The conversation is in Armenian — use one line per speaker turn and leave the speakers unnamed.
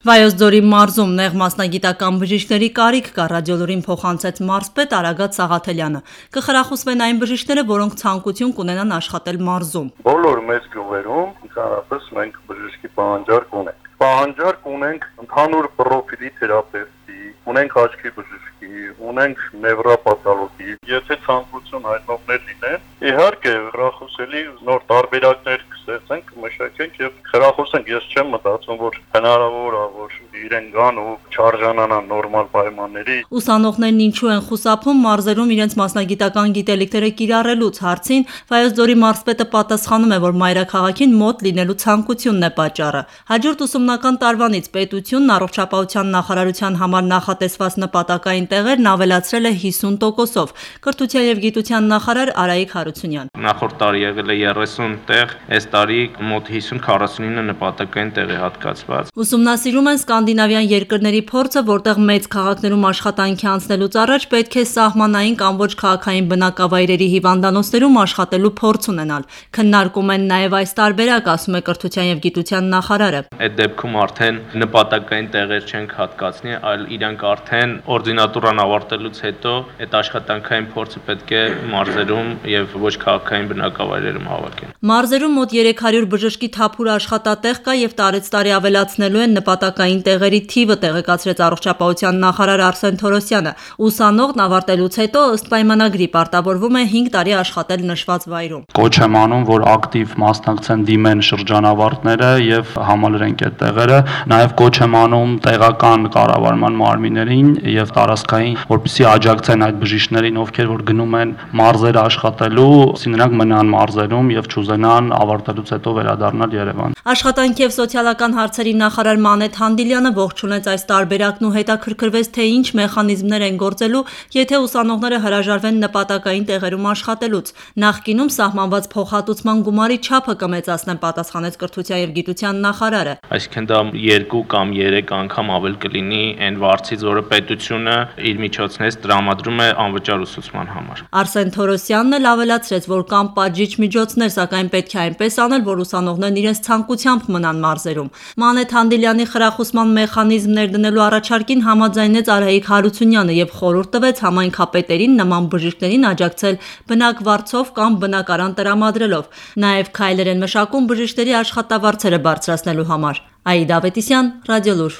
Վայոց ձորի մարզում նեղ մասնագիտական բժիշկների կարիք կա, Ռադիոլուրին փոխանցեց մարզպետ Արագատ Սաղաթելյանը։ Կխրախուսվեն այն բժիշկները, որոնք ցանկություն կունենան աշխատել մարզում։
Բոլոր մեծ գյուղերում ընդհանրապես մենք բժշկի պահանջարկ ունենք։ Պահանջարկ ունենք ընդհանուր պրոֆիլի թերապևտի, ունենք աչքի բժշկի, ունենք նևրոպաթոլոգի։ Եթե ցանկություն հայտնողներ լինեն, իհարկե խրախուսելի նոր տարբերակներ կստեղծենք, մշակենք եւ խրախուսենք։ Ես չեմ մտածում, որ հնարավոր է, որ իրեն գան ու չարժանանան նորմալ պայմանների։
Ուսանողներն ինչու են խուսափում մարզերում իրենց մասնագիտական գիտելիքները կիրառելուց հարցին Վայոց ձորի մարզպետը պատասխանում է, որ մայրաքաղաքին մոտ լինելու ցանկությունն է պատճառը։ Հաջորդ ուսումնական տարվանից պետությունն առողջապահության նախարարության համար նախատեսված նպատակային տեղերն ավելացրել է 50%-ով։ Կրթության եւ գիտության նախարար Արայիկ Հարությունյան։
Նախորդ տարի եղել է 30 տեղ, այս տարի մոտ 50-49 նպատակային տեղ է հատկացված։
Ուսումնասիրում են սկանդինավյան երկրների փորձը, որտեղ մեծ քաղաքներում աշխատանքի անցնելուց առաջ պետք է սահմանային կամ ոչ քաղաքային բնակավայրերի հիվանդանոցներում աշխատելու փորձ ունենալ։ Քննարկում են նաև այս տարբերակ, ասում է Կրթության եւ գիտության նախարարը։
Այդ դեպքում արդեն նպատակային տեղեր չենք հատկացնի, այլ իրանք արդեն օրդինատուրան ավարտելուց հետո այդ աշխատանքային փորձը պետք է մարզերում եւ ոչ քաղաքային բնակավայրերում հավաքեն։
Մարզերում մոտ 300 բժշկի թափուր աշխատատեղ կա եւ տարեցտարի ավելացնելու են նպատակային տեղերի թիվը, տեղեկացրեց առողջապահության նախարար Արսեն Թորոսյանը։ Ուսանողն ավարտելուց հետո ըստ պայմանագրի պարտավորվում է 5 տարի աշխատել նշված վայրում։
Կոչ եմ անում, որ ակտիվ մասնակցեն, դիմեն շրջանավարտները եւ համալրենք այդ տեղերը։ Նաեւ կոչ եմ անում տեղական կառավարման մարմիններին եւ տարածքային, որպեսզի աջակցեն այդ բժիշկներին, ովքեր որ գնում են մարզեր աշխատելու, նրանք մնան մարզերում եւ չուզենան ավարտելուց հետո վերադառնալ Երևան։
Աշխատանքի եւ սոցիալական հարցերի նախարար Մանեթ Հանդիլյանը ողջունեց այս տարբերակն ու հետաքրքրվեց, թե ինչ մեխանիզմներ են գործելու, եթե ուսանողները հրաժարվեն նպատակային տեղերում աշխատելուց։ Նախկինում սահմանված փոխհատուցման գումարի չափը կմեծացնեն, պատասխանեց Կրթության եւ գիտության նախարարը։
Այսինքն դա 2 կամ 3 անգամ ավել կլինի այն վարձից, որը պետությունը իր միջոցներից տրամադրում է անվճար ուսուցման համար։
Արսեն Թորոսյանն էլ ավելացրեց, որ կան պատժիչ միջոցներ, սակայն պետք է այնպես անել, որ ուսանողներն իրենց ցանկությամբ մնան մարզերում։ Մանեթ Հանդիլյանի խրախուսման մեխանիզմներ դնելու առաջարկին համաձայնեց Արայիկ Հարությունյանը եւ խորհուրդ տվեց համայնքապետերին նման բժիշկներին աջակցել բնակվարձով կամ բնակարան տրամադրելով։ Նաեւ քայլեր են մշակում բժիշկների աշխատավարձերը բարձրացնելու համար։ Աիդա Ավետիսյան, Ռադիոլուր։